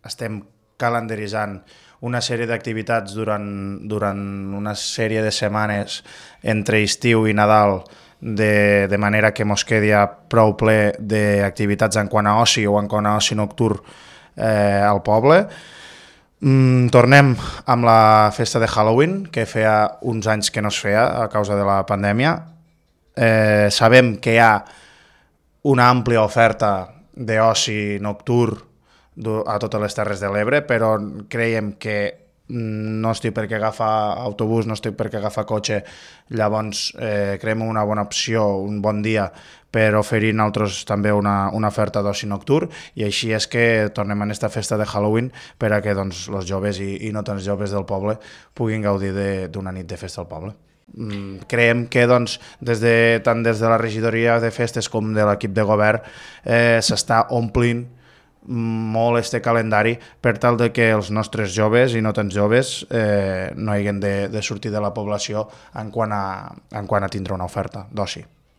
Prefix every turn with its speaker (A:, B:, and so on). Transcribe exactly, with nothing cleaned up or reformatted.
A: estem calendaritzant una sèrie d'activitats durant, durant una sèrie de setmanes entre estiu i Nadal, de, de manera que mos quedi prou ple d'activitats en quant a oci o en quant a oci nocturn eh, al poble. Mm, tornem amb la festa de Halloween, que feia uns anys que no es feia a causa de la pandèmia. Eh, sabem que hi ha una àmplia oferta d'oci nocturn a totes les Terres de l'Ebre, però creiem que no estic per què agafar autobús, no estic per què agafar cotxe, llavors eh, creiem una bona opció, un bon dia per oferir nosaltres també una, una oferta d'oci nocturn, i així és que tornem a aquesta festa de Halloween per a que doncs, els joves i, i no tan joves del poble puguin gaudir d'una nit de festa al poble. Mm, creiem que doncs, des de, tant des de la regidoria de festes com de l'equip de govern eh, s'està omplint molt este calendari per tal de que els nostres joves i no tan joves eh, no hagin de, de sortir de la població en quant a, en quant a tindre una oferta d'oci.